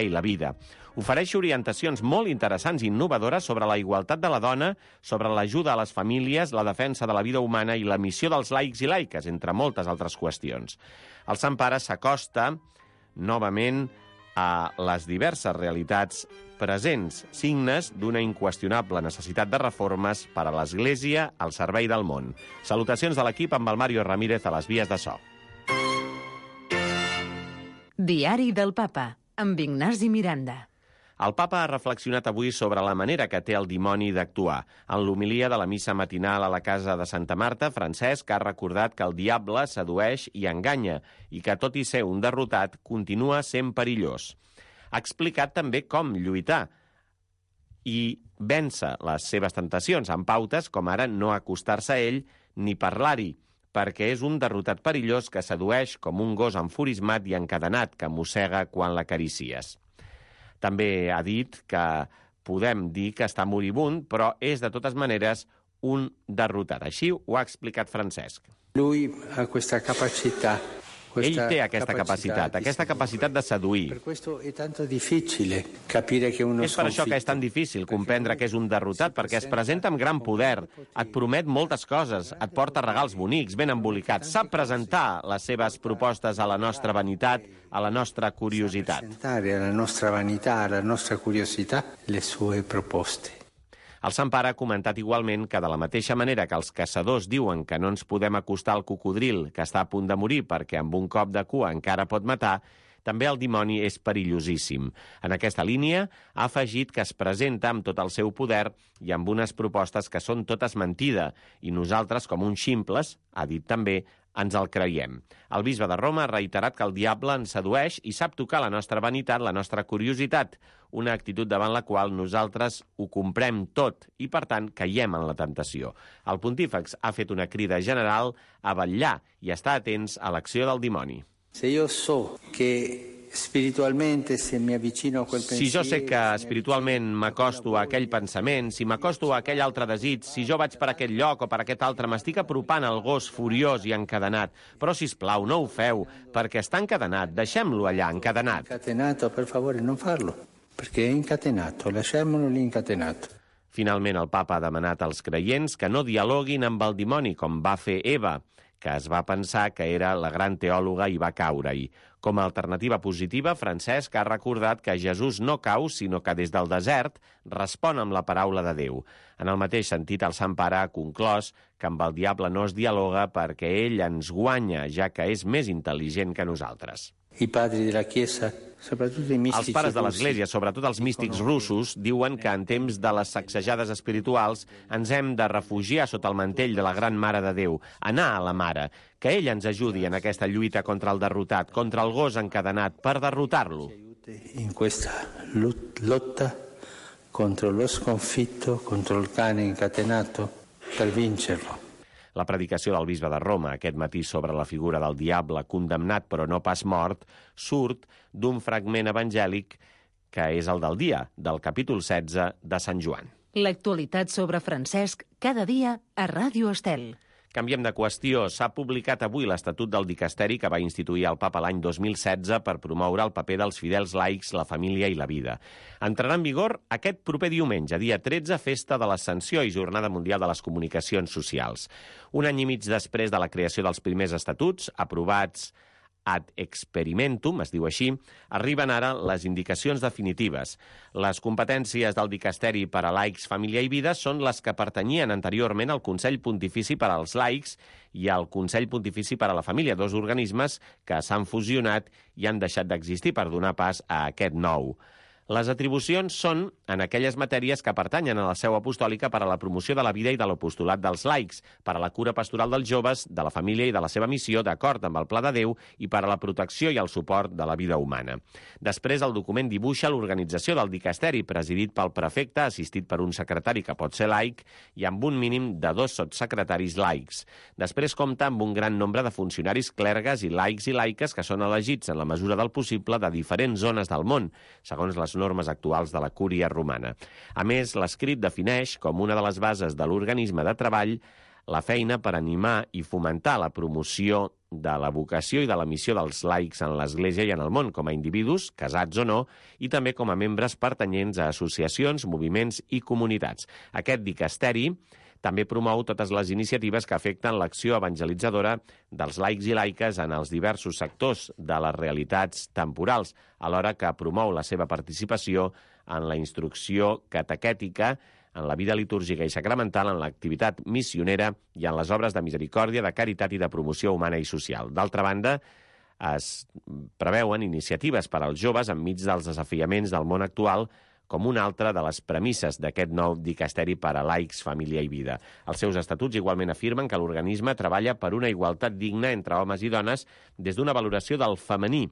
i la vida. Ofereix orientacions molt interessants i innovadores sobre la igualtat de la dona, sobre l'ajuda a les famílies, la defensa de la vida humana i la missió dels laics i laiques, entre moltes altres qüestions. El Sant Pare s'acosta novament a les diverses realitats presents, signes d'una inqüestionable necessitat de reformes per a l'Església al servei del món. Salutacions de l'equip amb el Mario Ramírez a les vies de so. Diari del Papa, amb Ignasi Miranda. El papa ha reflexionat avui sobre la manera que té el dimoni d'actuar. En l'homilia de la missa matinal a la casa de Santa Marta, Francesc ha recordat que el diable sedueix i enganya i que, tot i ser un derrotat, continua sent perillós. Ha explicat també com lluitar i vèncer les seves tentacions, amb pautes com ara no acostar-se a ell ni parlar-hi, perquè és un derrotat perillós que sedueix com un gos enfurismat i encadenat que mossega quan l'acaricies. També ha dit que podem dir que està moribund, però és de totes maneres un derrotat. Així ho ha explicat Francesc. Lui ha questa capacità. Ell té aquesta capacitat de seduir. Per questo è tanto difficile capire che uno És per això que és tan difícil comprendre que és un derrotat, perquè es presenta amb gran poder, et promet moltes coses, et porta regals bonics, ben embolicats, sap presentar les seves propostes a la nostra vanitat, a la nostra curiositat. presentare alla nostra vanità, alla nostra curiosità, le sue proposte. El Sant Pare ha comentat igualment que de la mateixa manera que els caçadors diuen que no ens podem acostar al cocodril que està a punt de morir perquè amb un cop de cua encara pot matar, també el dimoni és perillosíssim. En aquesta línia ha afegit que es presenta amb tot el seu poder i amb unes propostes que són totes mentida i nosaltres, com uns ximples, ha dit també, ens el creiem. El bisbe de Roma ha reiterat que el diable ens sedueix i sap tocar la nostra vanitat, la nostra curiositat, una actitud davant la qual nosaltres ho comprem tot i, per tant, caiem en la tentació. El pontífex ha fet una crida general a vetllar i estar atents a l'acció del dimoni. Si jo sé que espiritualmente se mi avvicino a quel pensiero... Si jo sé que espiritualment m'acosto a aquell pensament, si m'acosto a aquell altre desig, si jo vaig per aquest lloc o per aquest altre, m'estic apropant al gos furiós i encadenat. Però, sisplau, no ho feu, perquè està encadenat. Deixem-lo allà, encadenat. Incatenato, per favore, non farlo, perché è incatenato, lasciamolo lì incatenato. Finalment, el papa ha demanat als creients que no dialoguin amb el dimoni, com va fer Eva, que es va pensar que era la gran teòloga i va caure-hi. Com a alternativa positiva, Francesc ha recordat que Jesús no cau, sinó que des del desert respon amb la paraula de Déu. En el mateix sentit, el Sant Pare ha conclòs que amb el diable no es dialoga perquè ell ens guanya, ja que és més intel·ligent que nosaltres. I padri della Chiesa, soprattutto i mistici Els pares de l'Església, sobretot els místics russos, diuen que en temps de les sacsejades espirituals ens hem de refugiar sota el mantell de la Gran Mare de Déu, anar a la Mare, que ell ens ajudi en aquesta lluita contra el derrotat, contra el gos encadenat, per derrotar-lo. In questa lotta contro lo sconfitto, contro il cane incatenato, per vincerlo. La predicació del bisbe de Roma aquest matí sobre la figura del diable condemnat però no pas mort surt d'un fragment evangèlic que és el del dia, del capítol 16 de Sant Joan. L'actualitat sobre Francesc cada dia a Ràdio Estel. Canviem de qüestió. S'ha publicat avui l'Estatut del Dicasteri que va instituir el Papa l'any 2016 per promoure el paper dels fidels laics, la família i la vida. Entrarà en vigor aquest proper diumenge, dia 13, festa de l'Ascensió i Jornada Mundial de les Comunicacions Socials. Un any i mig després de la creació dels primers estatuts, aprovats ad experimentum, es diu així, arriben ara les indicacions definitives. Les competències del Dicasteri per a laics, família i vida són les que pertanyien anteriorment al Consell Pontifici per als laics i al Consell Pontifici per a la família, dos organismes que s'han fusionat i han deixat d'existir per donar pas a aquest nou. Les atribucions són en aquelles matèries que pertanyen a la seu apostòlica per a la promoció de la vida i de l'apostolat dels laics, per a la cura pastoral dels joves, de la família i de la seva missió, d'acord amb el Pla de Déu, i per a la protecció i el suport de la vida humana. Després, el document dibuixa l'organització del dicasteri, presidit pel prefecte, assistit per un secretari que pot ser laic, i amb un mínim de 2 sotssecretaris laics. Després compta amb un gran nombre de funcionaris clergues i laics i laiques que són elegits en la mesura del possible de diferents zones del món, segons les normes actuals de la cúria romana. A més, l'escrit defineix com una de les bases de l'organisme de treball la feina per animar i fomentar la promoció de la vocació i de la missió dels laics en l'Església i en el món, com a individus, casats o no, i també com a membres pertanyents a associacions, moviments i comunitats. Aquest dicasteri també promou totes les iniciatives que afecten l'acció evangelitzadora dels laics i laiques en els diversos sectors de les realitats temporals, alhora que promou la seva participació en la instrucció catequètica, en la vida litúrgica i sacramental, en l'activitat missionera i en les obres de misericòrdia, de caritat i de promoció humana i social. D'altra banda, es preveuen iniciatives per als joves enmig dels desafiaments del món actual, com una altra de les premisses d'aquest nou dicasteri per a laics, família i vida. Els seus estatuts igualment afirmen que l'organisme treballa per una igualtat digna entre homes i dones des d'una valoració del femení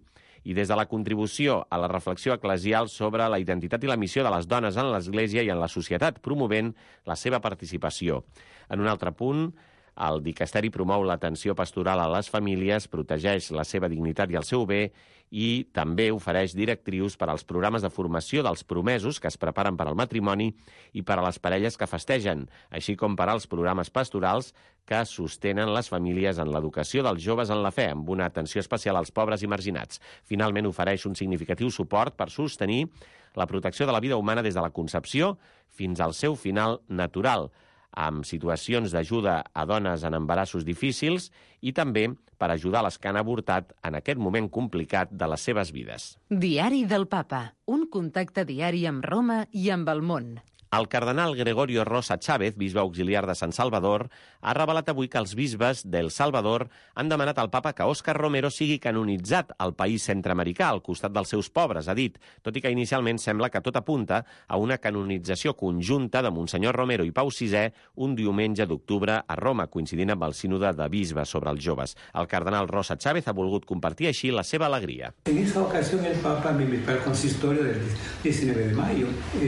i des de la contribució a la reflexió eclesial sobre la identitat i la missió de les dones en l'Església i en la societat, promovent la seva participació. En un altre punt, el dicasteri promou l'atenció pastoral a les famílies, protegeix la seva dignitat i el seu bé i també ofereix directrius per als programes de formació dels promesos que es preparen per al matrimoni i per a les parelles que festegen, així com per als programes pastorals que sostenen les famílies en l'educació dels joves en la fe, amb una atenció especial als pobres i marginats. Finalment, ofereix un significatiu suport per sostenir la protecció de la vida humana des de la concepció fins al seu final natural, amb situacions d'ajuda a dones en embarassos difícils i també per ajudar les que han avortat en aquest moment complicat de les seves vides. Diari del Papa, un contacte diari amb Roma i amb el món. El cardenal Gregorio Rosa Chávez, bisbe auxiliar de San Salvador, ha revelat avui que els bisbes d'El Salvador han demanat al papa que Óscar Romero sigui canonitzat al país centreamericà al costat dels seus pobres, ha dit, tot i que inicialment sembla que tot apunta a una canonització conjunta de Monsenyor Romero i Pau VI un diumenge d'octubre a Roma, coincidint amb el sínode de bisbes sobre els joves. El cardenal Rosa Chávez ha volgut compartir així la seva alegria. En esa ocasión el Papa me invitó al consistorio del 19 de mayo,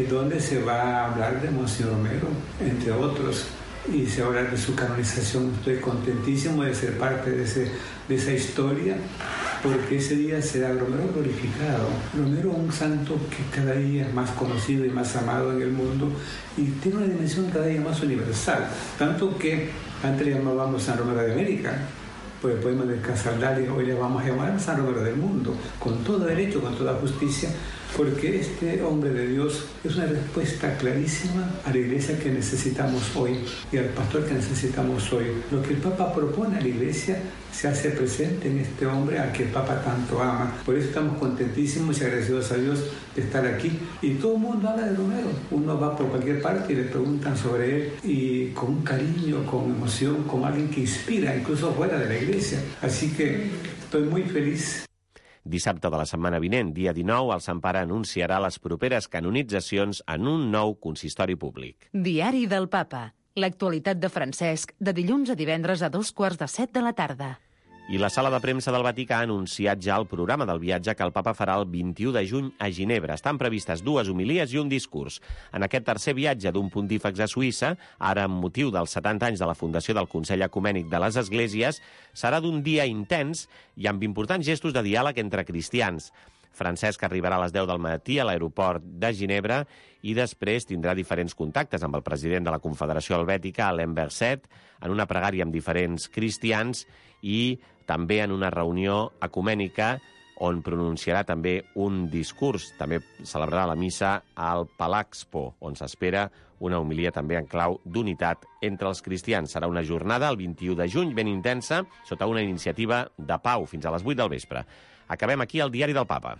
donde se va a hablar de Monseñor Romero, entre otros, y se va a hablar de su canonización. Estoy contentísimo de ser parte de esa historia, porque ese día será Romero glorificado. Romero, un santo que cada día es más conocido y más amado en el mundo, y tiene una dimensión cada día más universal, tanto que antes le llamábamos San Romero de América, por el poema de Casaldari, hoy le vamos a llamar San Romero del mundo, con todo derecho, con toda justicia, porque este hombre de Dios es una respuesta clarísima a la iglesia que necesitamos hoy y al pastor que necesitamos hoy. Lo que el Papa propone a la iglesia se hace presente en este hombre al que el Papa tanto ama. Por eso estamos contentísimos y agradecidos a Dios de estar aquí. Y todo el mundo habla de Romero. Uno va por cualquier parte y le preguntan sobre él, y con un cariño, con emoción, como alguien que inspira, incluso fuera de la iglesia. Así que estoy muy feliz. Dissabte de la setmana vinent, dia 19, el Sant Pare anunciarà les properes canonitzacions en un nou consistori públic. Diari del Papa. L'actualitat de Francesc, de dilluns a divendres a 2:45 de la tarda. I la sala de premsa del Vaticà ha anunciat ja el programa del viatge que el papa farà el 21 de juny a Ginebra. Estan previstes 2 homilies i un discurs. En aquest tercer viatge d'un pontífex a Suïssa, ara amb motiu dels 70 anys de la fundació del Consell Ecumènic de les Esglésies, serà d'un dia intens i amb importants gestos de diàleg entre cristians. Francesc arribarà a les 10 del matí a l'aeroport de Ginebra i després tindrà diferents contactes amb el president de la Confederació Helvètica, Alain Berset, en una pregària amb diferents cristians i també en una reunió ecumènica on pronunciarà també un discurs. També celebrarà la missa al Palazzo, on s'espera una homilia també en clau d'unitat entre els cristians. Serà una jornada, el 21 de juny, ben intensa, sota una iniciativa de pau, fins a les 8 del vespre. Acabem aquí el Diari del Papa.